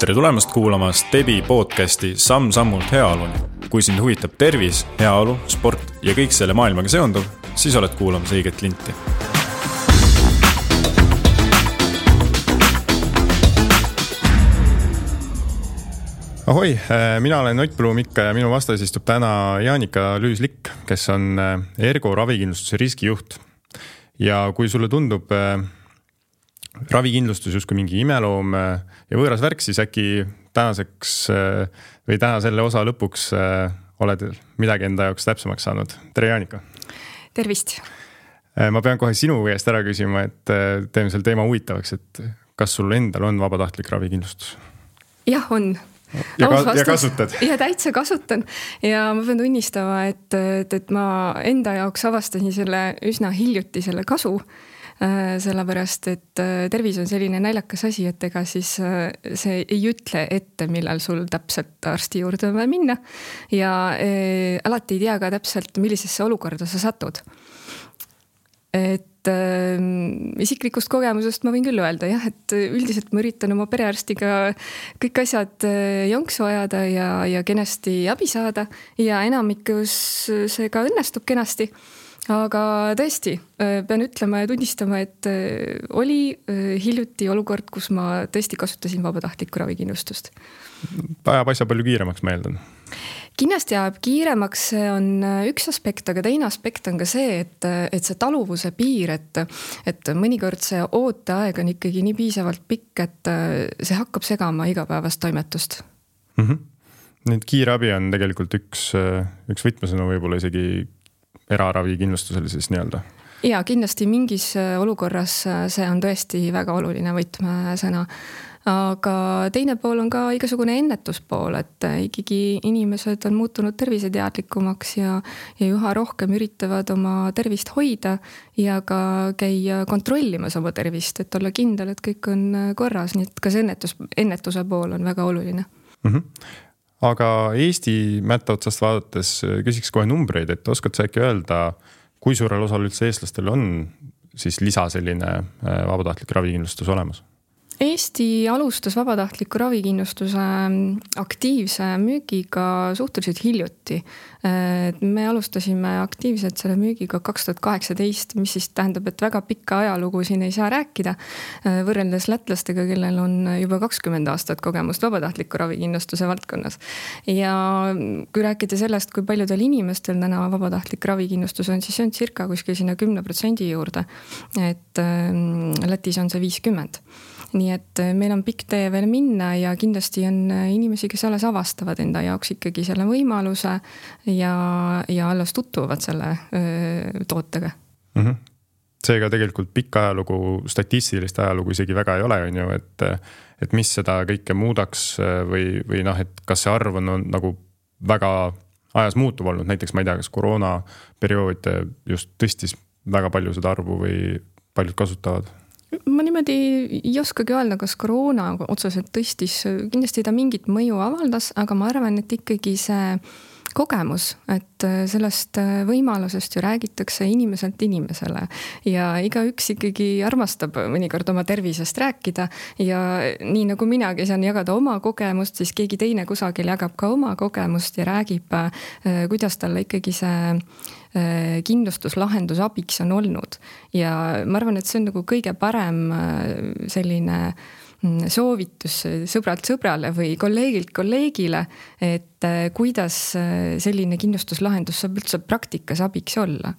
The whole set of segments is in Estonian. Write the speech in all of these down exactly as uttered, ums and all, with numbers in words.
tere tulemast kuulama Stebi podcasti Samm-sammult heaoluni. Kui sind huvitab tervis, heaolu, sport ja kõik selle maailmaga seonduv, siis oled kuulamas õiget linti. Ahoi, mina olen Ott Blumikka ja minu vastas istub täna Jaanika Lüüslik, kes on Ergo ravikindlustuse riskijuht. Ja kui sulle tundub ravikindlustus justkui mingi imeloom ja võõras värk, siis äkki tänaseks või täna selle osa lõpuks oled midagi enda jaoks täpsemaks saanud. Tere Jaanika! Tervist! Ma pean kohe sinu käest ära küsima, et teeme selle teema huvitavaks, et kas sul endal on vabatahtlik ravikindlustus? Jah, on. Ja, ka, ja kasutad? Ja täitsa kasutan. Ja ma pean tunnistama, et, et, et ma enda jaoks avastasin selle üsna hiljuti selle kasu, sellepärast, et tervis on selline naljakas asi, et ega siis see ei ütle ette, millal sul täpselt arsti juurde on vaja minna ja e, alati ei tea ka täpselt, millisesse olukorda sa satud. Et äh, isiklikust kogemusest ma võin küll öelda, jah, et üldiselt ma üritan oma perearstiga kõik asjad jonksu ajada ja, ja kenasti abi saada ja enamikus see ka õnnestub kenasti. Aga tõesti, pean ütlema ja tunnistama, et oli hiljuti olukord, kus ma tõesti kasutasin vabatahtlikku ravikindlustust. Ajab asja palju kiiremaks, ma eeldan. Kindlasti ajab kiiremaks, see on üks aspekt, aga teine aspekt on ka see, et, et see taluvuse piir, et, et mõnikord see ooteaeg on ikkagi nii piisavalt pikk, et see hakkab segama igapäevast toimetust. Mm-hmm. Nüüd kiire abi on tegelikult üks, üks võtmesõnu võib-olla isegi eraravikindlustusel siis nii-öelda. Ja kindlasti mingis olukorras see on tõesti väga oluline võtmesõna. Aga teine pool on ka igasugune ennetuspool, et ikkagi inimesed on muutunud terviseteadlikumaks ja, ja üha rohkem üritavad oma tervist hoida ja ka käia kontrollimas oma tervist, et olla kindel, et kõik on korras, nii et ka see ennetus, ennetuse pool on väga oluline. Mm-hmm. Aga Eesti mätta otsast vaadates küsiks kohe numbreid, et oskad sa äkki öelda, kui suurel osal üldse eestlastel on siis lisa selline vabatahtlik ravikindlustus olemas? Eesti alustas vabatahtliku ravikindlustuse aktiivse müügiga suhteliselt hiljuti. Me alustasime aktiivselt selle müügiga kaks tuhat kaheksateist, mis siis tähendab, et väga pikka ajalugu siin ei saa rääkida. Võrreldes lätlastega, kellel on juba kakskümmend aastat kogemust vabatahtliku ravikindlustuse valdkonnas. Ja kui rääkida sellest, kui paljudel inimestel täna vabatahtlik ravikindlustus on, siis see on circa kuskil sinna kümne protsendi juurde. Et Lätis on see viiskümmend. Nii et meil on pikk tee veel minna ja kindlasti on inimesi, kes alles avastavad enda jaoks ikkagi selle võimaluse ja, ja alles tutvuvad selle öö, tootega. Mm-hmm. Seega tegelikult pikk ajalugu, statistilist ajalugu isegi väga ei ole, on ju, et, et mis seda kõike muudaks või, või noh, et kas see arv on, on nagu väga ajas muutuv olnud, näiteks ma ei tea, kas koroona periood just tõstis väga palju seda arvu või paljud kasutavad? Ma niimoodi ei oskagi öelda, kas koroona otseselt tõstis, kindlasti ta mingit mõju avaldas, aga ma arvan, et ikkagi see kogemus, et sellest võimalusest ju räägitakse inimeselt inimesele ja igaüks ikkagi armastab mõnikord oma tervisest rääkida ja nii nagu minagi saan jagada oma kogemust, siis keegi teine kusagil jagab ka oma kogemust ja räägib, kuidas talle ikkagi see kindlustuslahendus abiks on olnud. Ja ma arvan, et see on nagu kõige parem selline soovitus sõbralt sõbrale või kolleegilt kolleegile, et kuidas selline kindlustuslahendus saab üldse praktikas abiks olla.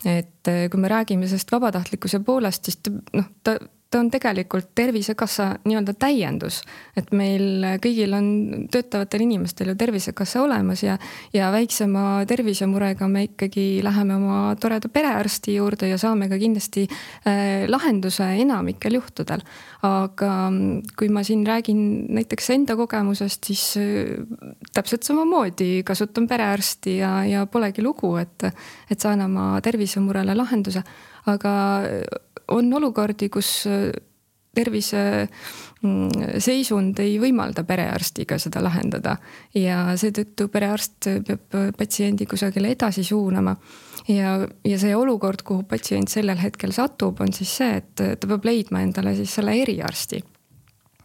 Et kui me räägime sellest vabatahtlikkuse poolest, siis ta, noh, ta ta on tegelikult Tervisekassa nii-öelda täiendus, et meil kõigil on töötavatel inimestel ju Tervisekassa olemas ja, ja väiksema tervisemurega me ikkagi läheme oma toreda perearsti juurde ja saame ka kindlasti äh, lahenduse enamikel juhtudel. Aga kui ma siin räägin näiteks enda kogemusest, siis äh, täpselt samamoodi kasutan perearsti ja, ja polegi lugu, et, et saan oma tervisemurele lahenduse. Aga on olukordi, kus tervise seisund ei võimalda perearstiga seda lahendada ja seetõttu perearst peab patsiendi kusagile edasi suunama ja, ja see olukord, kuhu patsient sellel hetkel satub, on siis see, et ta peab leidma endale siis selle eriarsti.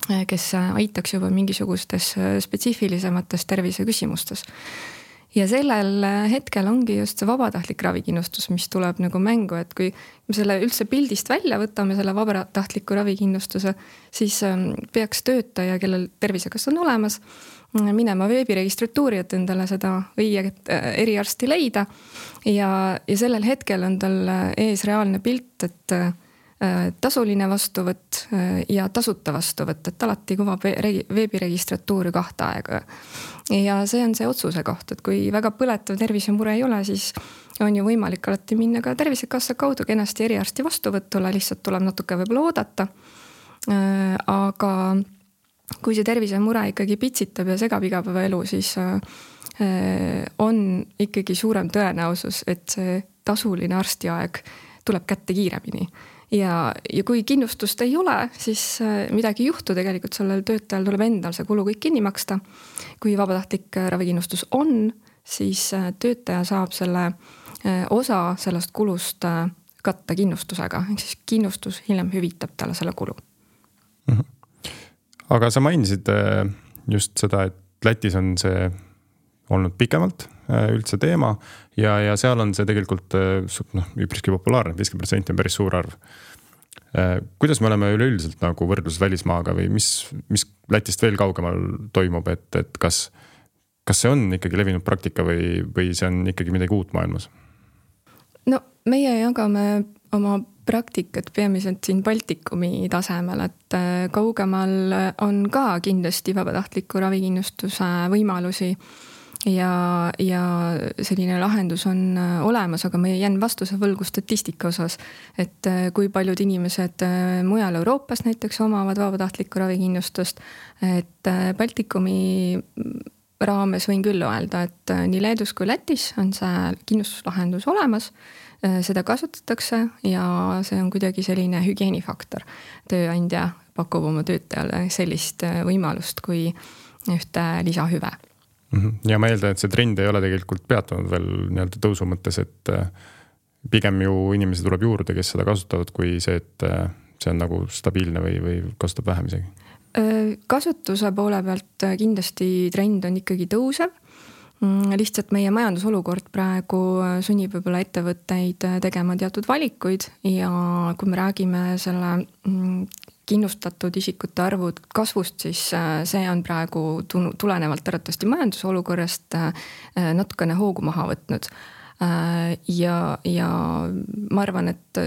kes aitaks juba mingisugustes spetsiifilisemates terviseküsimustes. Ja sellel hetkel ongi just see vabatahtlik ravikindlustus, mis tuleb nagu mängu, et kui me selle üldse pildist välja võtame, selle vabatahtliku ravikindlustuse, siis peaks töötaja, kellel tervisekassa on olemas, minema veebiregistratuuri, et endale seda õiget eriarsti leida. Ja, ja sellel hetkel on tal ees reaalne pilt, et tasuline vastuvõtt ja tasuta vastuvõtt, et alati kuvab veebiregistratuuri kahte aega. Ja see on see otsuse koht, et kui väga põletav tervisemure ei ole, siis on ju võimalik alati minna ka tervisekassa kaudu kenasti eriarsti vastuvõtule, lihtsalt tuleb natuke võib-olla oodata. Aga kui see tervisemure ikkagi pitsitab ja segab igapäevaelu, siis on ikkagi suurem tõenäosus, et see tasuline arstiaeg tuleb kätte kiiremini. Ja, ja kui kindlustust ei ole, siis midagi ei juhtu, tegelikult sellel töötajal tuleb endal see kulu kõik kinni maksta. Kui vabatahtlik ravikindlustus on, siis töötaja saab selle osa sellest kulust katta kindlustusega, ehk siis kindlustus hiljem hüvitab talle selle kulu. Aga sa mainisid just seda, et Lätis on see olnud pikemalt üldse teema ja, ja seal on see tegelikult noh, üpriski populaarne, viiskümmend protsenti on päris suur arv. Kuidas me oleme üleüldiselt nagu võrdlus välismaaga või mis, mis Lätist veel kaugemal toimub, et, et kas, kas see on ikkagi levinud praktika või, või see on ikkagi midagi uut maailmas? No meie jagame oma praktikat peamiselt siin Baltikumi tasemel, et kaugemal on ka kindlasti vabatahtliku ravikindlustuse võimalusi ja, ja selline lahendus on olemas, aga ma jään vastuse võlgu statistika osas, et kui paljud inimesed mujal Euroopas näiteks omavad vabatahtlikku ravikindlustust, et Baltikumi raames võin küll öelda, et nii Leedus kui Lätis on see kindlustuslahendus olemas, seda kasutatakse ja see on kuidagi selline hügieenifaktor. Tööandja pakub oma töötajale sellist võimalust kui ühte lisahüve. Ja ma eeldan, et see trend ei ole tegelikult peatunud veel nii-öelda tõusu mõttes, et pigem ju inimesi tuleb juurde, kes seda kasutavad, kui see, et see on nagu stabiilne või, või kasutab vähem isegi. Kasutuse poole pealt kindlasti trend on ikkagi tõusev. Lihtsalt meie majandusolukord praegu sunnib võib-olla ettevõtteid tegema teatud valikuid ja kui me räägime selle kindlustatud isikute arvu kasvust, siis see on praegu tulenevalt arvatavasti majandusolukorrast natukene hoogu maha võtnud. Ja, ja ma arvan, et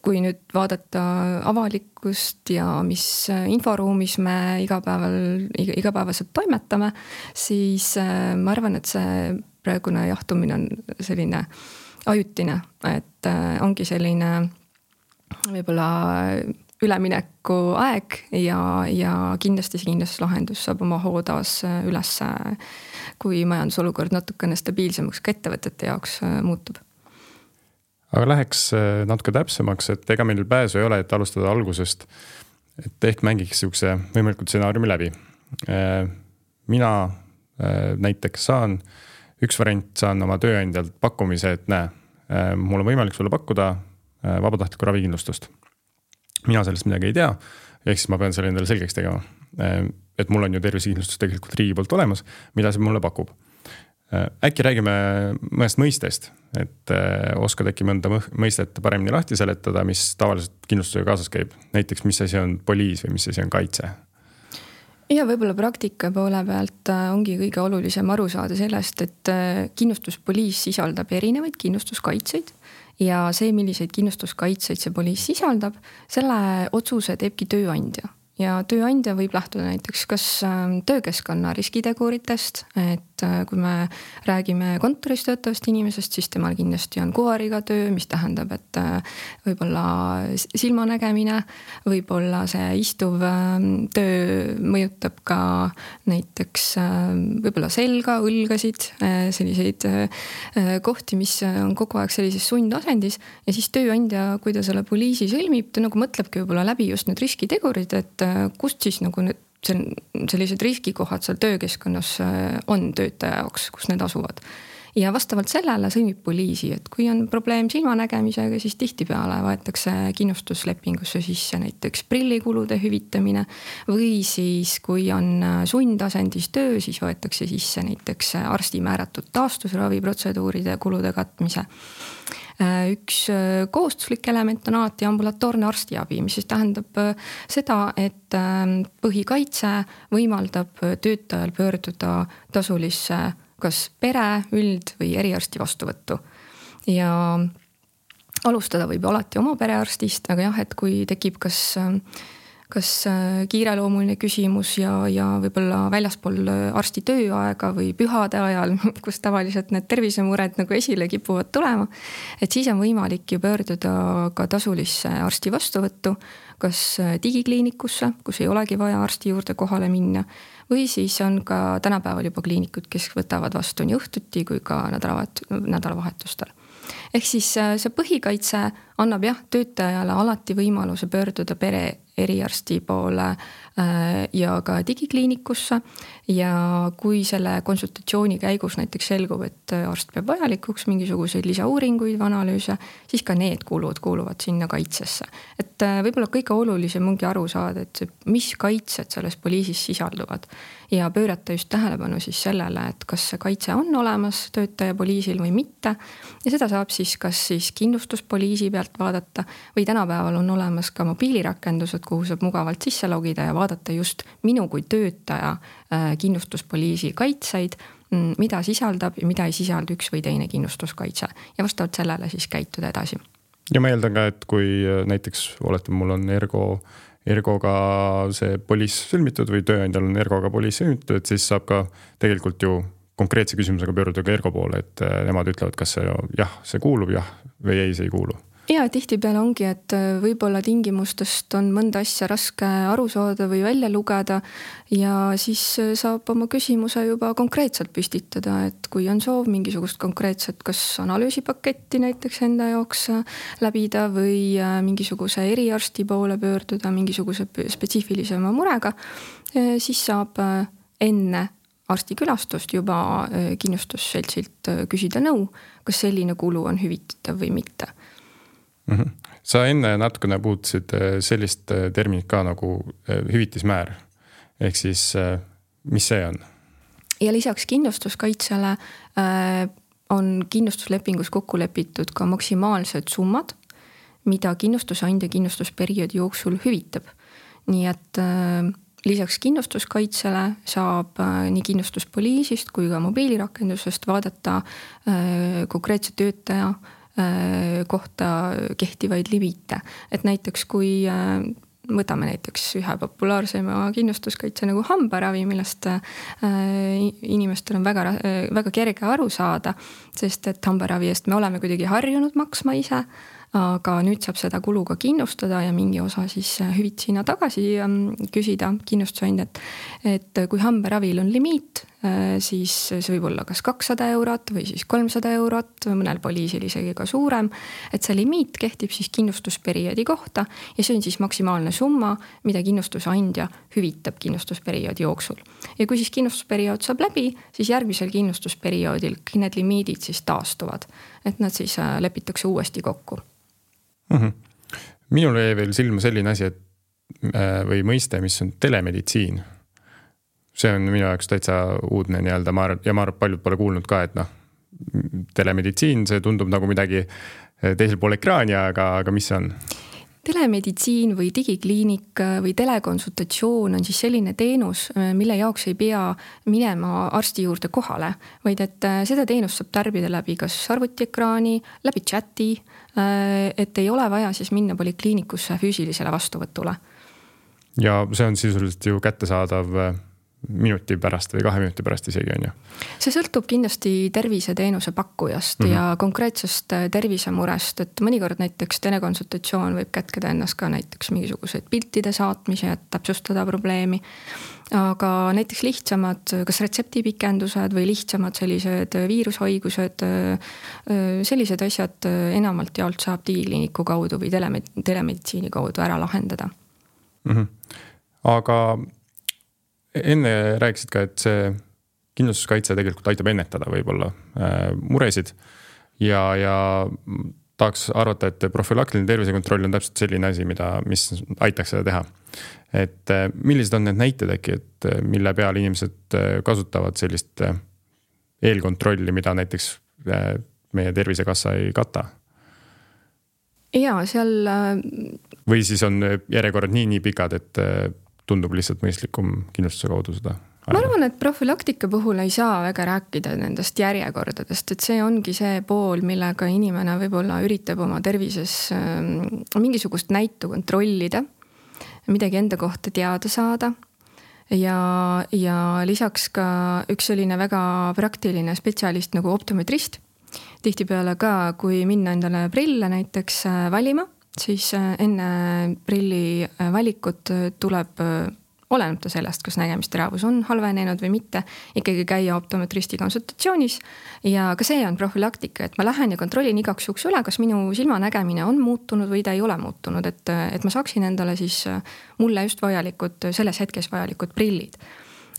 kui nüüd vaadata avalikkust ja mis inforuumis me igapäeval, igapäevaselt toimetame, siis ma arvan, et see praegune jahtumine on selline ajutine, et ongi selline võib-olla ülemineku aeg ja, ja kindlasti see kindlustuslahendus saab oma hoo taas üles, kui majandusolukord natukene stabiilsemaks ka ettevõtete jaoks muutub. Aga läheks natuke täpsemaks, et ega meil pääsu ei ole, et alustada algusest, et ehk mängiks siukse võimalikult stsenaariumi läbi. Mina näiteks saan, üks variant saan oma tööandjalt pakkumise, et näe, mul on võimalik sulle pakkuda vabatahtlikku ravikindlustust. Mina sellest midagi ei tea, ehk siis ma pean selle endale selgeks tegema, et mul on ju tervisekindlustus tegelikult riigi poolt olemas, mida see mulle pakub. Äkki räägime mõnest mõistest, et oskad äkki mõnda mõistet paremini lahti seletada, mis tavaliselt kindlustusega kaasas käib. Näiteks, mis asi on poliis või mis asi on kaitse? Ja võib-olla praktika poole pealt ongi kõige olulisem aru saada sellest, et kindlustuspoliis sisaldab erinevaid kindlustuskaitseid ja see, milliseid kindlustuskaitseid see poliis sisaldab, selle otsuse teebki tööandja. Ja tööandja võib lähtuda näiteks kas töökeskkonna riskiteguritest, et kui me räägime kontoris töötavast inimesest, siis temal kindlasti on kuhariga töö, mis tähendab, et võib-olla silmanägemine, võib-olla see istuv töö mõjutab ka näiteks võib-olla selga, õlgasid, selliseid kohti, mis on kogu aeg sellises sundasendis ja siis tööandja, kui ta selle poliisi sõlmib, ta nagu mõtlebki võib-olla läbi just need riskitegurid, et kust siis nagu need sellised riskikohad seal töökeskkonnas on töötaja jaoks, kus need asuvad. ja vastavalt sellele sõlmib poliisi, et kui on probleem silmanägemisega, siis tihtipeale võetakse kindlustuslepingusse sisse näiteks prillikulude hüvitamine või siis kui on sundasendis töö, siis võetakse sisse näiteks arsti määratud taastusraviprotseduuride kulude katmise. Üks kohustuslik element on alati ambulatoorne arstiabi, mis siis tähendab seda, et põhikaitse võimaldab töötajal pöörduda tasulisse kas pere, üld või eriarsti vastuvõttu. Ja alustada võib alati oma perearstist, aga jah, et kui tekib kas kas kiireloomuline küsimus ja, ja võib-olla väljaspool arsti tööaega või pühade ajal, kus tavaliselt need tervisemured nagu esile kipuvad tulema, et siis on võimalik ju pöörduda ka tasulisse arsti vastuvõttu, kas digikliinikusse, kus ei olegi vaja arsti juurde kohale minna, või siis on ka tänapäeval juba kliinikud, kes võtavad vastu nii õhtuti kui ka nädalavahetustel. Ehk siis see põhikaitse annab jah, töötajale alati võimaluse pöörduda pere eriarsti poole ja ka digikliinikusse ja kui selle konsultatsiooni käigus näiteks selgub, et arst peab vajalikuks mingisuguseid lisauuringuid või analüüse, siis ka need kulud kuuluvad sinna kaitsesse. Et võib-olla kõige olulisem ongi aru saada, et mis kaitsed selles poliisis sisalduvad ja pöörata just tähelepanu siis sellele, et kas see kaitse on olemas töötaja poliisil või mitte ja seda saab siis kas siis kindlustuspoliisi pealt vaadata või tänapäeval on olemas ka mobiilirakendused, kuhu saab mugavalt sisse logida ja vaadata just minu kui töötaja kindlustuspoliisi kaitseid, mida sisaldab ja mida ei sisaldu üks või teine kindlustuskaitse ja vastavalt sellele siis käituda edasi. Ja ma eeldan ka, et kui näiteks olete, mul on ergo, ergoga see poliis sõlmitud või tööandjal on ergoga poliis sõlmitud, et siis saab ka tegelikult ju konkreetse küsimusega pöörduda ka ergo poole, et nemad ütlevad, kas see jah, see kuulub jah või ei, see ei kuulu. Ja tihtipeale ongi, et võib-olla tingimustest on mõnda asja raske aru saada või välja lugeda ja siis saab oma küsimuse juba konkreetselt püstitada, et kui on soov mingisugust konkreetset kas analüüsipaketti näiteks enda jaoks läbida või mingisuguse eriarsti poole pöörduda mingisuguse spetsiifilisema murega, siis saab enne arstikülastust juba kindlustusseltsilt küsida nõu, kas selline kulu on hüvitatav või mitte. Mm-hmm. Sa enne natukene puutusid sellist terminit ka nagu hüvitismäär. Ehk siis, mis see on? Ja lisaks kindlustuskaitsele on kindlustuslepingus kokku lepitud ka maksimaalsed summad, mida kindlustusandja kindlustusperioodi jooksul hüvitab. Nii et lisaks kindlustuskaitsele saab nii kindlustuspoliisist kui ka mobiilirakendusest vaadata konkreetse töötaja kohta kehtivaid limiite. Et näiteks kui võtame näiteks ühe populaarsema kindlustuskaitse nagu hambaravi, millest inimestel on väga, väga kerge aru saada, sest et hambaravi eest me oleme kuidagi harjunud maksma ise, aga nüüd saab seda kulu ka kindlustada ja mingi osa siis hüvitisina tagasi küsida kindlustusandjat, et kui hambaravil on limiit, siis see võib olla kas kakssada eurot või siis kolmsada eurot, mõnel poliisil isegi ka suurem, et see limiit kehtib siis kindlustusperioodi kohta ja see on siis maksimaalne summa, mida kindlustusandja hüvitab kindlustusperioodi jooksul. Ja kui siis kindlustusperiood saab läbi, siis järgmisel kindlustusperioodil need limiidid siis taastuvad, et nad siis lepitakse uuesti kokku. Mm-hmm. Minul jäi veel silma selline asi, et või mõiste, mis on telemeditsiin. See on minu jaoks täitsa uudne nii-öelda ja ma arvan, paljud pole kuulnud ka, et noh, telemeditsiin, see tundub nagu midagi teisel pool ekraani, aga, aga mis see on? Telemeditsiin või digikliinik või telekonsultatsioon on siis selline teenus, mille jaoks ei pea minema arsti juurde kohale, vaid et seda teenust saab tarbida läbi kas arvutiekraani, läbi chati, et ei ole vaja siis minna polikliinikusse füüsilisele vastuvõtule. Ja see on sisuliselt ju kättesaadav minuti pärast või kahe minuti pärast isegi on ju? See sõltub kindlasti terviseteenuse pakkujast mm-hmm. ja konkreetsest tervisemurest, et mõnikord näiteks telekonsultatsioon võib kätkeda ennast ka näiteks mingisugused piltide saatmise, et täpsustada probleemi. Aga näiteks lihtsamad, kas retseptipikendused või lihtsamad sellised viirushaigused, sellised asjad enamalt jaolt saab digikliiniku kaudu või telemeditsiini kaudu ära lahendada. Mm-hmm. Aga enne rääkisid ka, et see kindlustuskaitse tegelikult aitab ennetada võib-olla muresid ja, ja tahaks arvata, et profülaktiline tervisekontroll on täpselt selline asi, mida, mis aitaks seda teha. Et millised on need näited äkki, et mille peal inimesed kasutavad sellist eelkontrolli, mida näiteks meie Tervisekassa ei kata? Ja seal... Või siis on järjekorrad nii, nii pikad, et tundub lihtsalt mõistlikum kindlustuse kaudu seda? Ma arvan, et profülaktika puhul ei saa väga rääkida nendest järjekordadest, et see ongi see pool, millega inimene võib-olla üritab oma tervises mingisugust näitu kontrollida, midagi enda kohta teada saada ja, ja lisaks ka üks selline väga praktiline spetsialist nagu optometrist. Tihtipeale ka, kui minna endale prille näiteks valima, siis enne prilli valikut tuleb oleneb ta sellest, kas nägemisteravus on halvenenud või mitte, ikkagi käia optometristi konsultatsioonis ja ka see on profülaktika, et ma lähen ja kontrollin igaks juhuks üle, kas minu silmanägemine on muutunud või ta ei ole muutunud, et, et ma saaksin endale siis mulle just vajalikud, selles hetkes vajalikud prillid.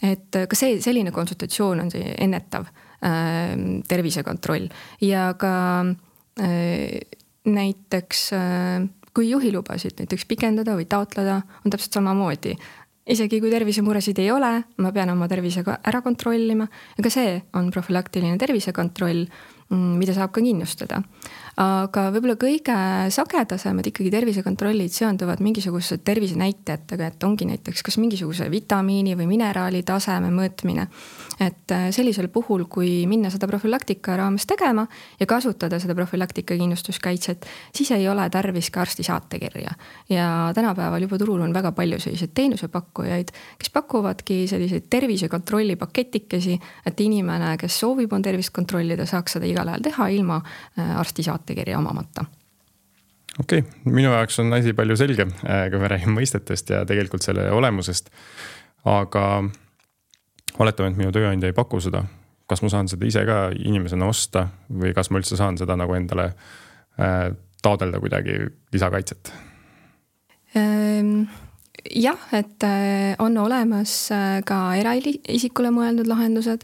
Et ka see, selline konsultatsioon on see ennetav äh, tervisekontroll ja ka äh, näiteks äh, kui juhilubasid näiteks pikendada või taotleda, on täpselt samamoodi. Isegi kui tervisemuresid ei ole, ma pean oma tervisega ära kontrollima ja ka see on profülaktiline tervisekontroll, mida saab ka kindlustada. Aga võib-olla kõige sagedasemad ikkagi tervisekontrollid seonduvad mingisuguse tervisenäitajatega, et ongi näiteks kas mingisuguse vitamiini või mineraali taseme mõõtmine. Et sellisel puhul, kui minna seda profülaktika raames tegema ja kasutada seda profülaktika kindlustuskaitset, siis ei ole tarvis ka arsti saatekirja. Ja tänapäeval juba turul on väga palju selliseid teenusepakkujaid, kes pakuvadki selliseid tervisekontrolli paketikesi, et inimene, kes soovib on tervist kontrollida, saaks seda igal ajal teha ilma arsti saatekirja omamata. Okei, okay. Minu jaoks on asi palju selgem, kui me räägime mõistetest ja tegelikult selle olemusest. Aga oletame, et minu tööandja ei paku seda. Kas ma saan seda ise ka inimesena osta või kas ma üldse saan seda nagu endale taodelda kuidagi lisakaitset? Jah, et on olemas ka eraisikule mõeldud lahendused.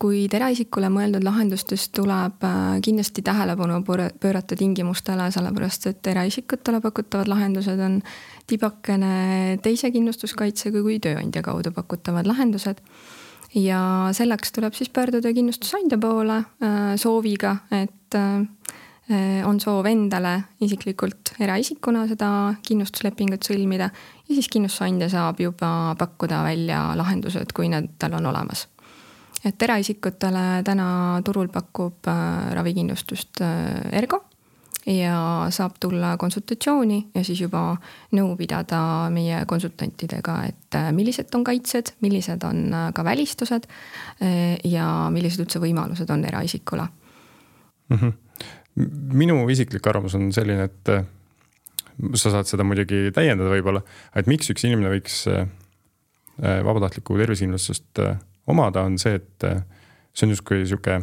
Kuid eraisikule mõeldud lahendustest tuleb kindlasti tähelepanu pöörata tingimustele, sellepärast et eraisikutele pakutavad lahendused on tibakene teise kindlustuskaitsega kui tööandja kaudu pakutavad lahendused. Ja selleks tuleb siis pöörduda kindlustusandja poole sooviga, et on soov endale isiklikult eraisikuna seda kindlustuslepingut sõlmida ja siis kindlustusandja saab juba pakkuda välja lahendused, kui need tal on olemas. Et eraisikutele täna turul pakub ravikindlustust Ergo ja saab tulla konsultatsiooni ja siis juba nõu pidada meie konsultantidega, et millised on kaitsed, millised on ka välistused ja millised üldse võimalused on eraisikule. Mm-hmm. Minu isiklik arvamus on selline, et sa saad seda muidugi täiendada võib-olla, et miks üks inimene võiks vabatahtliku tervisekindlustust omada on see, et see on justkui siuke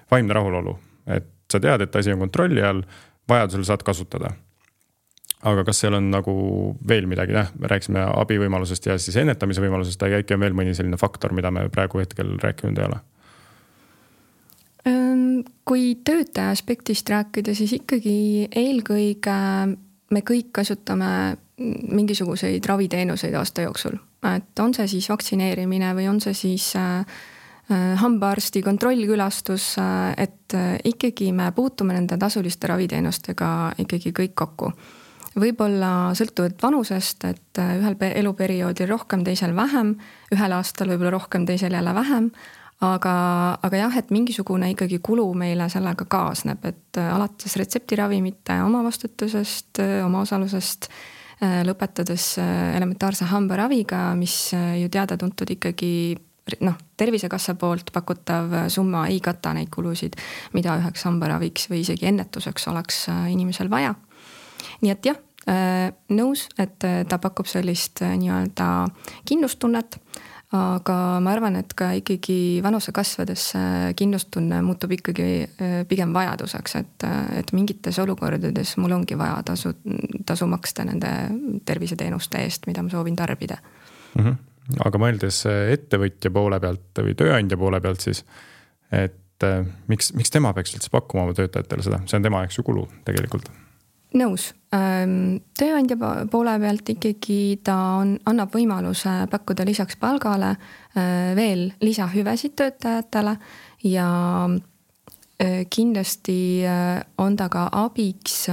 vaimne rahulolu, et sa tead, et asi on kontrolli all, vajadusel saad kasutada. Aga kas seal on nagu veel midagi, näh, me rääksime abivõimalusest ja siis ennetamise võimalusest, aga äkki on veel mõni selline faktor, mida me praegu hetkel rääkinud ei ole? Kui töötaja aspektist rääkida, siis ikkagi eelkõige me kõik kasutame mingisuguseid raviteenuseid aasta jooksul. Et on see siis vaktsineerimine või on see siis hambaarsti kontrollkülastus, et ikkagi me puutume nende tasuliste raviteenustega ikkagi kõik kokku. Võib-olla sõltuvalt vanusest, et ühel eluperioodil rohkem, teisel vähem, ühel aastal võib-olla rohkem, teisel jälle vähem, aga, aga jah, et mingisugune ikkagi kulu meile sellega kaasneb, et alates retseptiravimite omavastutusest, omaosalusest, lõpetades elementaarse hambaraviga, mis ju teada-tuntud ikkagi noh, Tervisekassa poolt pakutav summa ei kata neid kulusid, mida üheks hambaraviks või isegi ennetuseks oleks inimesel vaja. Nii et jah, nõus, et ta pakub sellist nii-öelda kindlustunnet, aga ma arvan, et ka ikkagi vanuse kasvades kindlustunne muutub ikkagi pigem vajaduseks, et, et mingites olukordades mul ongi vaja tasu, tasu maksta nende terviseteenuste eest, mida ma soovin tarbida. Mm-hmm. aga mõeldes ettevõtja poole pealt või tööandja poole pealt siis, et miks, miks tema peaks üldse pakkuma oma töötajatele seda, see on tema jaoks ju kulu tegelikult. Nõus. Tööandja poole pealt ikkagi ta on, annab võimaluse pakkuda lisaks palgale veel lisahüvesid töötajatele ja kindlasti on ta ka abiks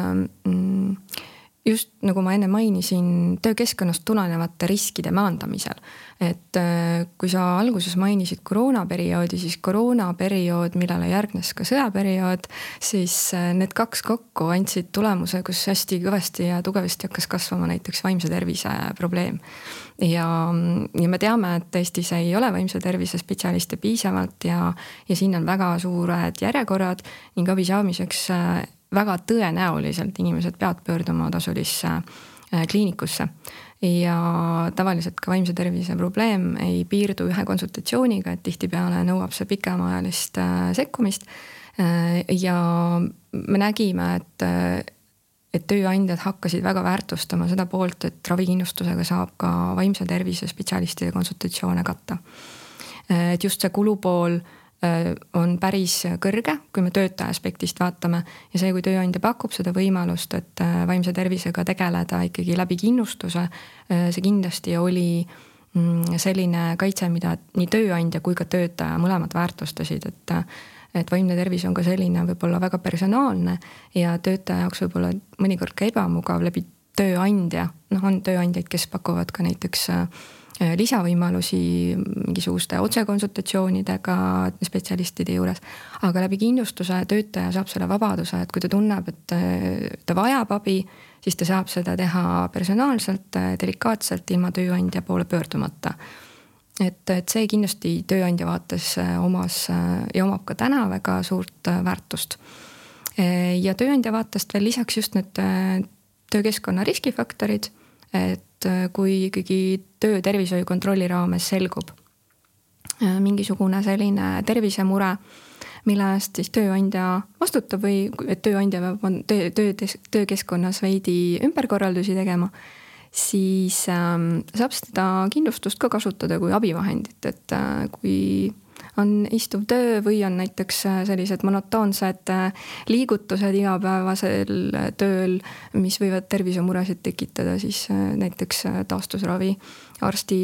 just nagu ma enne mainisin, töökeskkonnast tulenevate riskide maandamisel. Et kui sa alguses mainisid koroonaperioodi, siis koroonaperiood, millele järgnes ka sõjaperiood, siis need kaks kokku andsid tulemuse, kus hästi kõvasti ja tugevasti hakkas kasvama näiteks vaimse tervise probleem. Ja, ja me teame, et Eestis ei ole vaimse tervise spetsialiste piisavalt ja, ja siin on väga suured järjekorrad ning abi saamiseks väga tõenäoliselt inimesed peavad pöörduma tasulisse kliinikusse. Ja tavaliselt ka vaimse tervise probleem ei piirdu ühe konsultatsiooniga, et tihtipeale nõuab see pikemaajalist sekkumist. Ja me nägime, et, et tööandjad hakkasid väga väärtustama seda poolt, et ravikindlustusega saab ka vaimse tervise spetsialistide konsultatsioone katta. Et just see kulupool on päris kõrge, kui me töötaja aspektist vaatame ja see, kui tööandja pakub seda võimalust, et vaimse tervisega tegeleda ikkagi läbi kindlustuse, see kindlasti oli selline kaitse, mida nii tööandja kui ka töötaja mõlemad väärtustasid, et, et vaimne tervis on ka selline võib-olla väga personaalne ja töötaja jaoks võib-olla mõnikord ka ebamugav läbi tööandja, noh on tööandjaid, kes pakuvad ka näiteks lisavõimalusi mingisuguste otsekonsultatsioonidega spetsialistide juures, aga läbi kindlustuse töötaja saab selle vabaduse, et kui ta tunneb, et ta vajab abi, siis ta saab seda teha personaalselt, delikaatselt ilma tööandja poole pöördumata. Et, et see kindlasti tööandja vaates omas ja omab ka täna väga suurt väärtust. Ja tööandja vaatest veel lisaks just need töökeskkonna riskifaktorid, et kui ikkagi töö tervishoiu kontrolli raames selgub mingisugune selline tervisemure, mille eest siis tööandja vastutab või et tööandja peab töö, töö, töökeskkonnas veidi ümberkorraldusi tegema, siis ähm, saab seda kindlustust ka kasutada kui abivahendit, et äh, kui on istuv töö või on näiteks sellised monotoonsed liigutused igapäevasel tööl, mis võivad tervisemuresid tekitada, siis näiteks taastusravi, arsti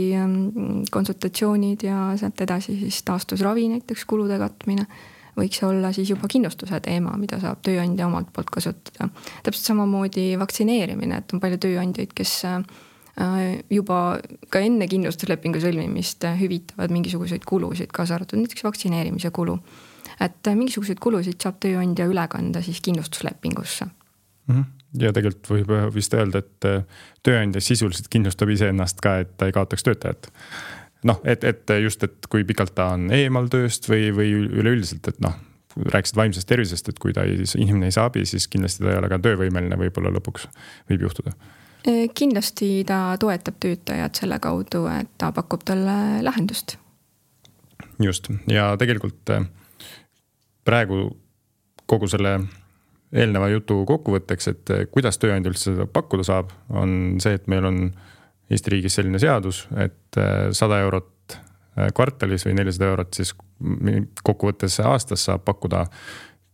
konsultatsioonid ja sealt edasi siis taastusravi näiteks kulude katmine võiks olla siis juba kindlustuse teema, mida saab tööandja omalt poolt kasutada. Täpselt samamoodi vaktsineerimine, et on palju tööandjaid, kes juba ka enne kindlustuslepingu sõlmimist hüvitavad mingisuguseid kulusid, kaasa arvatud näiteks vaktsineerimise kulu. Et mingisuguseid kulusid saab tööandja üle kanda siis kindlustuslepingusse. Ja tegelikult võib vist öelda, et tööandja sisuliselt kindlustab ise ennast ka, et ta ei kaotaks töötajat. Noh, et, et just, et kui pikalt ta on eemal tööst või, või üleüldiselt, et noh, rääkisid vaimsest tervisest, et kui ta ei, inimene ei saa abi, siis kindlasti ta ei ole ka töövõimeline, võib-olla lõpuks võib juhtuda. Kindlasti ta toetab töötajad selle kaudu, et ta pakub talle lahendust. Just, ja tegelikult praegu kogu selle eelneva jutu kokkuvõtteks, et kuidas tööandja üldse seda pakkuda saab, on see, et meil on Eesti riigis selline seadus, et sada eurot kvartalis või nelisada eurot siis kokkuvõttes aastas saab pakkuda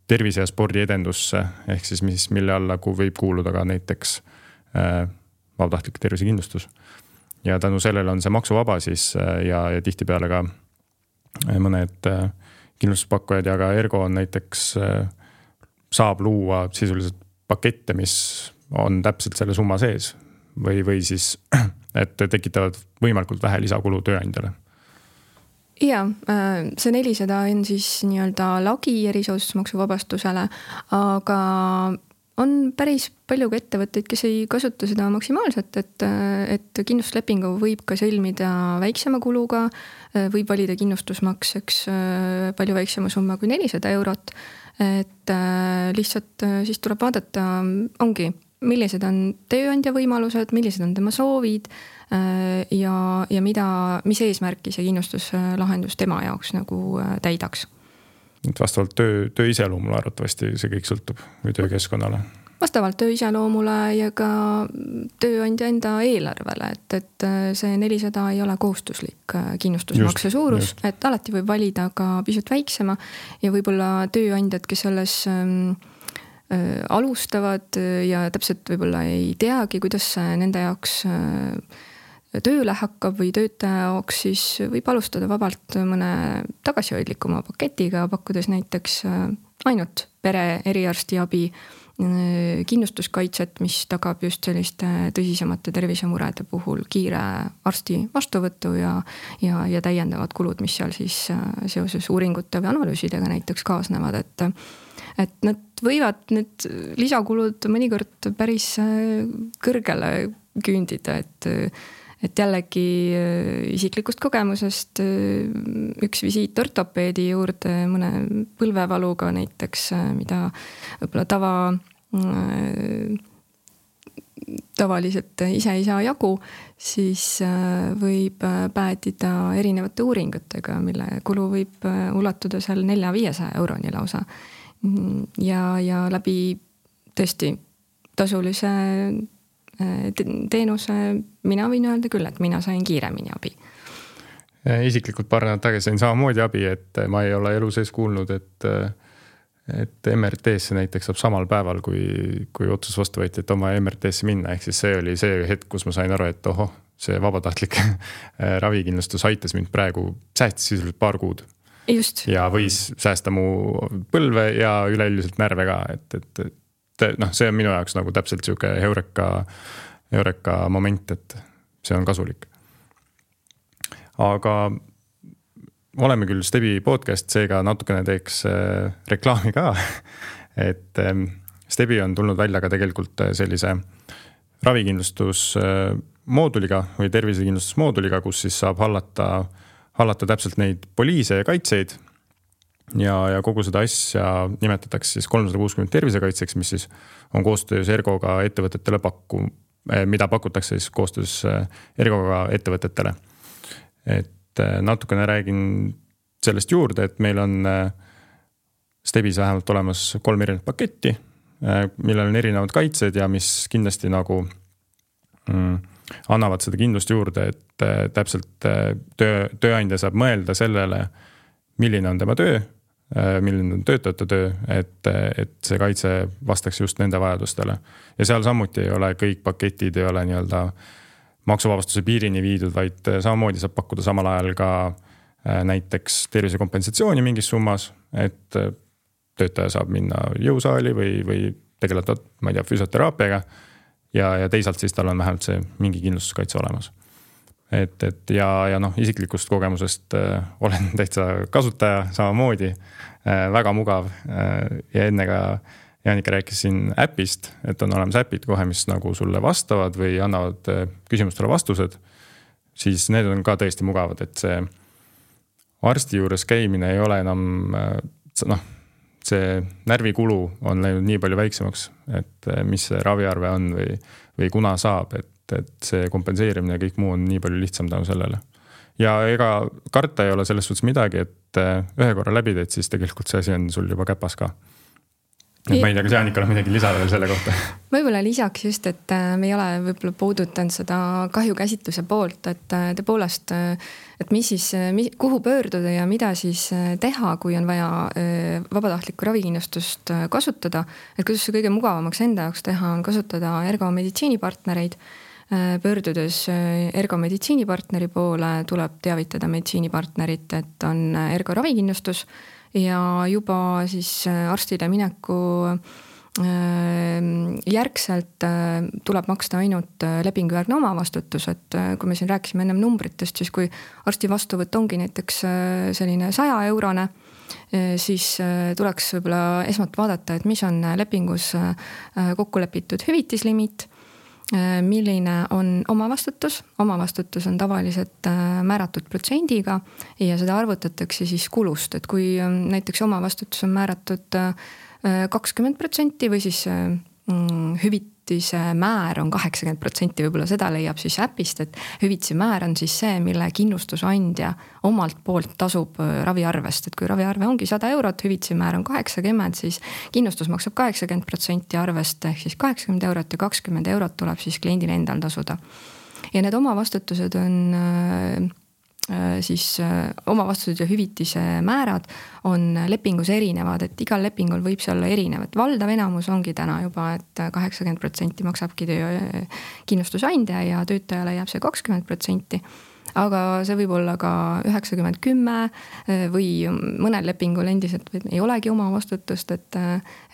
tervise- ja spordi-edendusse, ehk siis mis, mille alla võib kuuluda ka näiteks vabatahtlik tervisekindlustus. Ja tänu sellele on see maksuvaba siis ja, ja tihtipeale ka mõned kindlustuspakkujaid ja ka Ergo on näiteks saab luua sisuliselt pakette, mis on täpselt selle summa sees või, või siis, et tekitavad võimalikult vähe lisakulu tööandjale. Ja, see nelisada on siis nii-öelda lagi erisoodustusmaksuvabastusele, aga on päris palju ka ettevõtteid, kes ei kasuta seda maksimaalselt, et, et kindlustuslepingu võib ka sõlmida väiksema kuluga, võib valida kindlustusmakseks palju väiksema summa kui nelisada eurot, et lihtsalt siis tuleb vaadata, ongi, millised on tööandja võimalused, millised on tema soovid ja, ja mida, mis eesmärki see kindlustuslahendus tema jaoks nagu täidaks. Et vastavalt töö, töö iseloomule arvatavasti see kõik sõltub või töökeskkonnale. vastavalt töö iseloomule ja ka tööandja enda eelarvele, et, et see nelisada ei ole kohustuslik kindlustusmakse suurus, just. Et alati võib valida ka pisut väiksema ja võib-olla tööandjad, kes selles ähm, äh, alustavad ja täpselt võib-olla ei teagi, kuidas nende jaoks äh, tööle hakkab või töötaja jaoks, siis võib alustada vabalt mõne tagasihoidlikuma paketiga, pakkudes näiteks äh, ainult pere eriarstiabi, kindlustuskaitset, mis tagab just selliste tõsisemate tervisemurede puhul kiire arsti vastuvõttu ja, ja, ja täiendavad kulud, mis seal siis seoses uuringute või analüüsidega näiteks kaasnevad, et, et nad võivad need lisakulud mõnikord päris kõrgele küündida, et et jällegi isiklikust kogemusest üks visiit ortopeedi juurde mõne põlvevaluga näiteks, mida võib-olla tava, tavaliselt ise ei saa jagu, siis võib päädida erinevate uuringutega, mille kulu võib ulatuda seal nelja-viiesaja euroni lausa. Ja, ja läbi tõesti tasulise teenuse mina võin öelda küll, et mina sain kiiremini abi. Isiklikult paar nädalat tagasi sain samamoodi abi, et ma ei ole elu sees kuulnud, et, et M R T-sse näiteks saab samal päeval, kui, kui otsus vastu võeti, et oma M R T-sse minna. Ehk siis see oli see hetk, kus ma sain aru, et oho, see vabatahtlik ravikindlustus aitas mind praegu, säästis sisuliselt paar kuud. Just. Ja võis säästa mu põlve ja üleüldiselt närve ka, et, et noh, see on minu jaoks nagu täpselt siuke heureka, heureka moment, et see on kasulik. Aga oleme küll Stebi podcast, seega natukene teeks reklaami ka, et Stebi on tulnud välja ka tegelikult sellise ravikindlustus mooduliga või tervisekindlustus mooduliga, kus siis saab hallata, hallata täpselt neid poliise ja kaitseid. Ja, ja kogu seda asja nimetatakse siis kolmsada kuuskümmend tervisekaitseks, mis siis on koostöös Ergoga ettevõtetele pakku, mida pakutakse siis koostöös Ergoga ettevõtetele. Et natukene räägin sellest juurde, et meil on Stebis vähemalt olemas kolm erinevat paketti, millel on erinevad kaitsed ja mis kindlasti nagu mm, annavad seda kindlust juurde, et täpselt töö, tööandja saab mõelda sellele, milline on tema töö, milline on töötajate töö, et, et see kaitse vastaks just nende vajadustele. Ja seal samuti ei ole kõik paketid, ei ole nii-öelda maksuvabastuse piirini viidud, vaid samamoodi saab pakkuda samal ajal ka näiteks tervisekompensatsiooni mingis summas, et töötaja saab minna jõusaali või, või tegeleda, ma ei tea, füsioteraapiaga ja, ja teisalt siis tal on vähemalt see mingi kindlustuskaitse olemas. Et, et ja, ja noh, isiklikust kogemusest äh, olen täitsa kasutaja samamoodi, äh, väga mugav äh, ja enne ka Jaanika rääkis siin äpist, et on olemas äpid kohe, mis nagu sulle vastavad või annavad äh, küsimustele vastused, siis need on ka tõesti mugavad, et see arsti juures käimine ei ole enam, äh, noh, see närvikulu on läinud nii palju väiksemaks, et äh, mis see raviarve on või, või kuna saab, et et see kompenseerimine ja kõik muu on nii palju lihtsam tänu sellele. Ja ega karta ei ole selles suhtes midagi, et ühe korra läbi teed, siis tegelikult see asi on sul juba käpas ka. Et ma ei tea, kas Jaanikal on midagi lisada veel selle kohta. Võib-olla lisaks just, et me ei ole võib-olla puudutanud seda kahjukäsitluse poolt, et tõepoolest, et mis siis, kuhu pöörduda ja mida siis teha, kui on vaja vabatahtlikku ravikindlustust kasutada, et kuidas see kõige mugavamaks enda jaoks teha on kasutada Ergo meditsiinipartnereid. Pöördudes Ergo meditsiinipartneri poole tuleb teavitada meditsiinipartnerit, et on Ergo ravikindlustus ja juba siis arstile mineku järgselt tuleb maksta ainult lepingujärgne omavastutus, et kui me siin rääkisime ennem numbritest, siis kui arsti vastuvõtt ongi näiteks selline saja eurone, siis tuleks võib-olla esmalt vaadata, et mis on lepingus kokku lepitud hüvitislimiit, milline on omavastutus. Omavastutus on tavaliselt määratud protsendiga ja seda arvutatakse siis kulust, et kui näiteks omavastutus on määratud kakskümmend protsenti või siis hüvit, hüvitise määr on kaheksakümmend protsenti, võib-olla seda leiab siis äpist, et hüvitise määr on siis see, mille kindlustusandja omalt poolt tasub raviarvest, et kui raviarve ongi sada eurot, hüvitise määr on kaheksakümmend, siis kindlustus maksab kaheksakümmend protsenti arvest ehk siis kaheksakümmend eurot ja kakskümmend eurot tuleb siis kliendil endal tasuda. Ja need omavastutused on siis omavastused ja hüvitise määrad on lepingus erinevad, et igal lepingul võib see olla erinev, et valdav enamus ongi täna juba, et kaheksakümmend protsenti maksabki töö kindlustusandja ja töötajale jääb see kakskümmend protsenti. Aga see võib olla ka üheksakümmend kümme või mõnel lepingul endiselt ei olegi oma vastutust, et,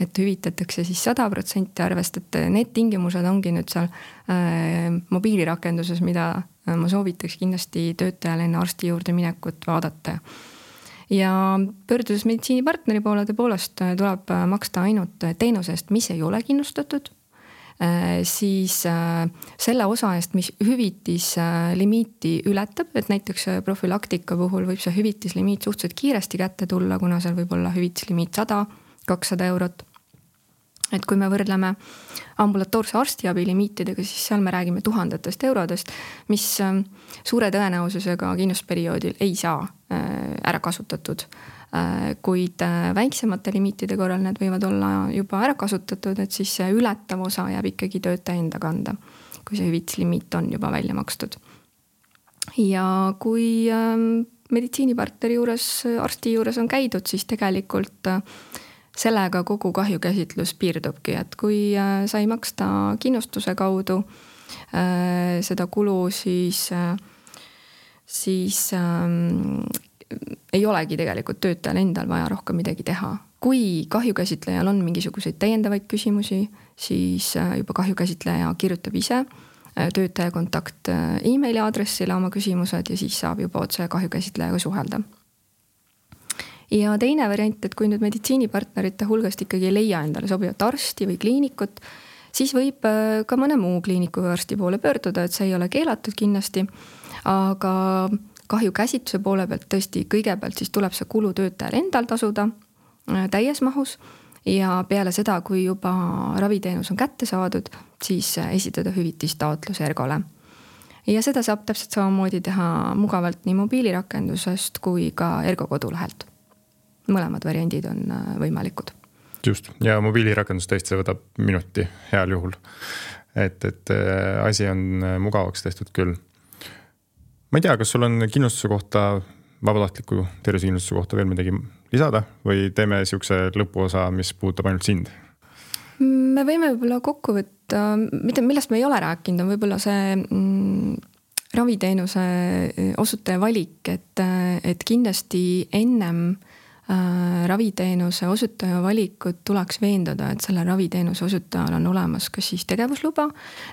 et hüvitatakse siis sada protsenti arvest, et need tingimused ongi nüüd seal mobiilirakenduses, mida ma soovitaks kindlasti töötajale enne arsti juurde minekut vaadata. Ja pöördudes meditsiinipartneri poole tõepoolest tuleb maksta ainult teenusest, mis ei ole kindlustatud, siis selle osa eest, mis hüvitis limiiti ületab, et näiteks profülaktika puhul võib see hüvitislimiit suhteliselt kiiresti kätte tulla, kuna seal võib olla hüvitislimiit sada, kakssada eurot. Et kui me võrdleme ambulatoorse arstiabi limiitidega, siis seal me räägime tuhandetest eurodest, mis suure tõenäosusega kindlustusperioodil ei saa ära kasutatud. Kuid väiksemate limiitide korral need võivad olla juba ära kasutatud, et siis see ületav osa jääb ikkagi töötaja enda kanda, kui see hüvitslimiit on juba välja makstud. Ja kui meditsiinipartneri juures, arsti juures on käidud, siis tegelikult sellega kogu kahjukäsitlus piirdubki, et kui sai maksta kindlustuse kaudu seda kulu, siis, siis ei olegi tegelikult töötajal endal vaja rohkem midagi teha. Kui kahjukäsitlejal on mingisuguseid täiendavaid küsimusi, siis juba kahjukäsitleja kirjutab ise töötaja kontakt e-maili aadressile oma küsimused ja siis saab juba otse kahjukäsitlejaga suhelda. Ja teine variant, et kui nüüd meditsiinipartnerite hulgast ikkagi ei leia endale sobivat arsti või kliinikut, siis võib ka mõne muu kliiniku või arsti poole pöörduda, et see ei ole keelatud kindlasti, aga kahjukäsitluse poole pealt tõesti kõigepealt siis tuleb see kulu töötajal endal tasuda täies mahus ja peale seda, kui juba raviteenus on kätte saadud, siis esitada hüvitistaotlus Ergole. Ja seda saab täpselt samamoodi teha mugavalt nii mobiilirakendusest kui ka Ergo kodulehelt. Mõlemad variandid on võimalikud. Just, ja mobiilirakendus tõesti võtab minuti heal juhul. Et, et asi on mugavaks tehtud küll. Ma ei tea, kas sul on kindlustuse kohta, vabatahtliku tervisekindlustuse kohta veel midagi lisada või teeme siukse lõpuosa, mis puudutab ainult sind? Me võime võib-olla kokku võtta, millest me ei ole rääkinud, on võib-olla see mm, raviteenuse osutaja valik, et, et kindlasti ennem raviteenuse osutaja valikut tuleks veenduda, et selle raviteenuse osutajal on olemas kas siis tegevusluba,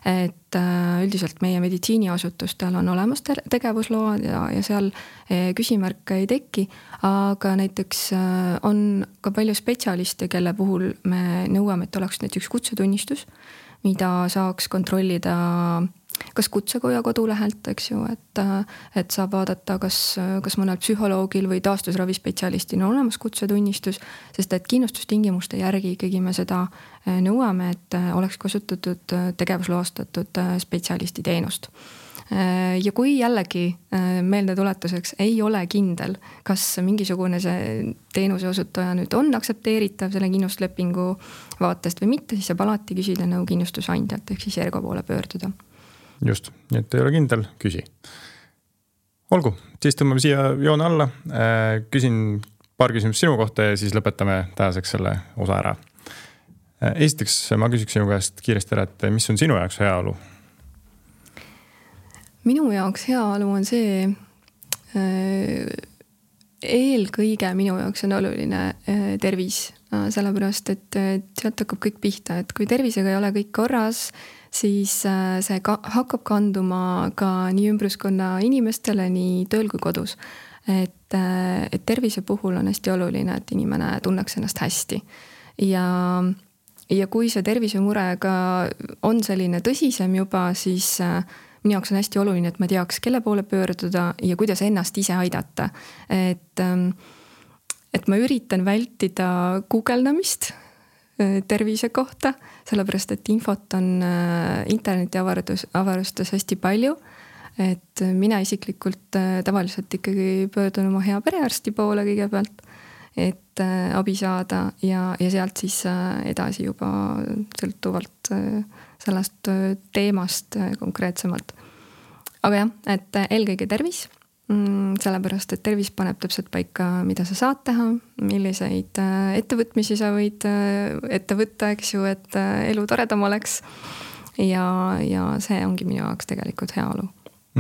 et üldiselt meie meditsiiniasutustel on olemas tegevusload ja, ja seal küsimärke ei teki, aga näiteks on ka palju spetsialiste, kelle puhul me nõuame, et oleks näiteks kutsetunnistus, mida saaks kontrollida kas kutsekoja kodulehelt, eks ju, et, et saab vaadata, kas, kas mõnel psühholoogil või taastusravispetsialistil on olemas kutsetunnistus, sest et kindlustustingimuste järgi ikkagi me seda nõuame, et oleks kasutatud tegevusloastatud spetsialisti teenust. Ja kui jällegi meelde tuletuseks ei ole kindel, kas mingisugune see teenuse osutaja nüüd on aktsepteeritav selle kindlustuslepingu vaatest või mitte, siis saab alati küsida nõu kindlustusandjalt ehk siis Ergo poole pöörduda. Just, nii et ei ole kindel, küsi. Olgu, siis tõmbame siia joone alla. Küsin paar küsimust sinu kohta ja siis lõpetame tänaseks selle osa ära. Esiteks ma küsiks sinu käest kiiresti ära, et mis on sinu jaoks heaolu? Minu jaoks heaolu on see, eelkõige minu jaoks on oluline tervis, sellepärast, et sealt hakkab kõik pihta, et kui tervisega ei ole kõik korras, siis see ka, hakkab kanduma ka nii ümbruskonna inimestele, nii tööl kui kodus. Et, et tervise puhul on hästi oluline, et inimene tunneks ennast hästi. Ja, ja kui see tervisemurega on selline tõsisem juba, siis minu jaoks on hästi oluline, et ma teaks, kelle poole pöörduda ja kuidas ennast ise aidata. Et, et ma üritan vältida guugeldamist tervise kohta, sellepärast et infot on interneti avarus, avarustes hästi palju. Et mina isiklikult tavaliselt ikkagi pöördun oma hea perearsti poole kõigepealt, et abi saada ja, ja sealt siis edasi juba sõltuvalt sellest teemast konkreetsemalt. Aga jah, et eelkõige tervis, sellepärast, et tervis paneb täpselt paika, mida sa saad teha, milliseid ettevõtmisi sa võid ette võtta, eks ju, et elu toredam oleks. Ja, ja see ongi minu jaoks tegelikult heaolu.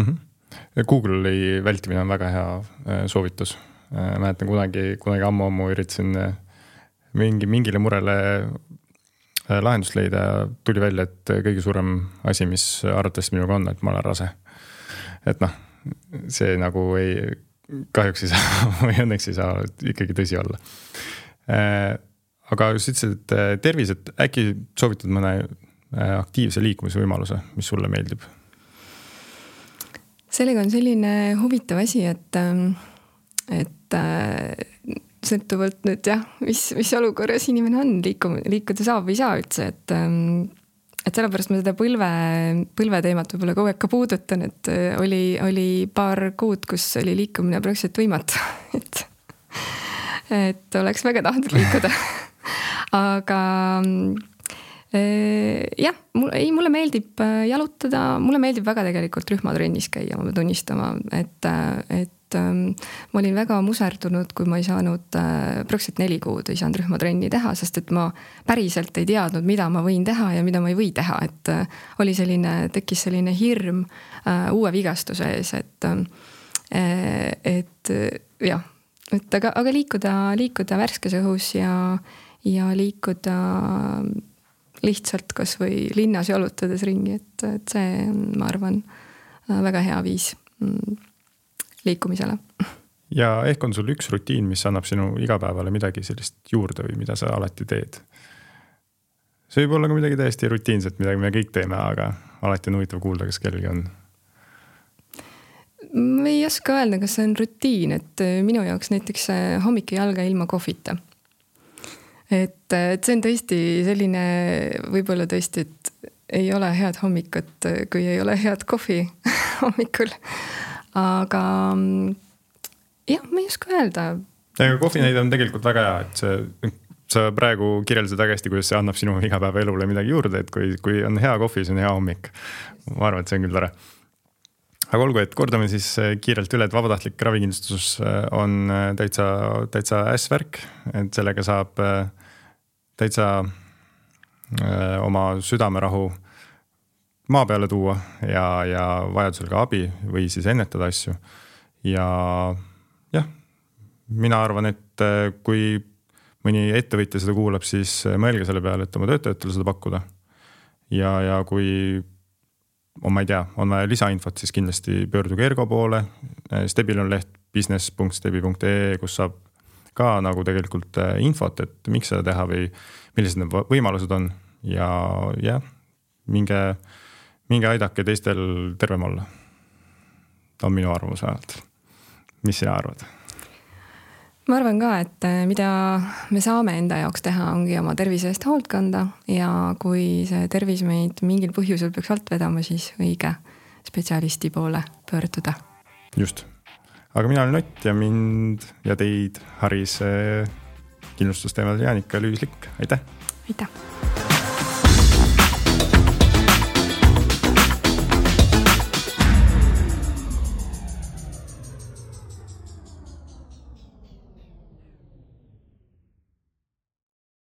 Mm-hmm. Google'i vältimine on väga hea soovitus. Mäletan kunagi, kunagi ammu-ammu üritasin mingi, mingile murele lahendust leida ja tuli välja, et kõige suurem asi, mis arvates minuga on, et ma olen rase. Et noh, see nagu ei, kahjuks ei saa või õnneks ei saa ikkagi tõsi olla. Aga just ütlesid, et tervis, et äkki soovitad mõne aktiivse liikumise võimaluse, mis sulle meeldib? Sellega on selline huvitav asi, et, et sõltuvalt nüüd jah, mis, mis olukorras inimene on, liikum, liikuda saab või saa üldse, et et sellepärast ma seda põlve, põlve teemat võib-olla kogu aeg ka puudutan, et oli, oli paar kuud, kus oli liikumine praktiliselt võimatu, et, et oleks väga tahtnud liikuda. Aga jah, mul, ei, mulle meeldib jalutada, mulle meeldib väga tegelikult rühmatrennis käia, ma pean tunnistama, et, et ma olin väga muserdunud, kui ma ei saanud praktiliselt neli kuud ei saanud rühmatrenni teha, sest et ma päriselt ei teadnud, mida ma võin teha ja mida ma ei või teha, et oli selline, tekkis selline hirm uue vigastuse ees, et, et jah, et aga, aga liikuda, liikuda värskes õhus ja, ja liikuda lihtsalt kas või linnas jalutades ringi, et, et see on, ma arvan, väga hea viis liikumisele. Ja ehk on sul üks rutiin, mis annab sinu igapäevale midagi sellist juurde või mida sa alati teed? See võib olla ka midagi täiesti rutiinset, midagi me kõik teeme, aga alati on huvitav kuulda, kas kellelgi on. Ma ei oska öelda, kas see on rutiin, et minu jaoks näiteks hommik jalga ilma kohvita. Et, et see on tõesti selline, võib-olla tõesti, et ei ole head hommikut, kui ei ole head kohvi hommikul. Aga jah, ma ei oska öelda. Ja kohvi näide on tegelikult väga hea, et see, sa praegu kirjeldasid väga hästi, kuidas see annab sinu igapäeva elule midagi juurde, et kui, kui on hea kohvi, see on hea hommik. Ma arvan, et see on küll tore. Aga olgu, et kordame siis kiirelt üle, et vabatahtlik ravikindlustus on täitsa, täitsa ässvärk, et sellega saab täitsa oma südamerahu maa peale tuua ja, ja vajadusel ka abi või siis ennetada asju. Ja jah, mina arvan, et kui mõni ettevõtja seda kuulab, siis mõelge selle peale, et oma töötajatele seda pakkuda. Ja, ja kui on, ma ei tea, on vaja lisainfot, siis kindlasti pöörduge Ergo poole. Stebil on leht business punkt stebi punkt ee, kus saab ka nagu tegelikult infot, et miks seda teha või millised need võimalused on. Ja jah, minge minge aidake teistel tervem olla. On minu arvamus vähemalt. Mis sina arvad? Ma arvan ka, et mida me saame enda jaoks teha, ongi oma tervise eest hoolt kanda ja kui see tervis meid mingil põhjusel peaks alt vedama, siis õige spetsialisti poole pöörduda. Just. Aga mina olen Ott ja mind ja teid haris kindlustusteemadel Jaanika Lüüslik. Aitäh! Aitäh!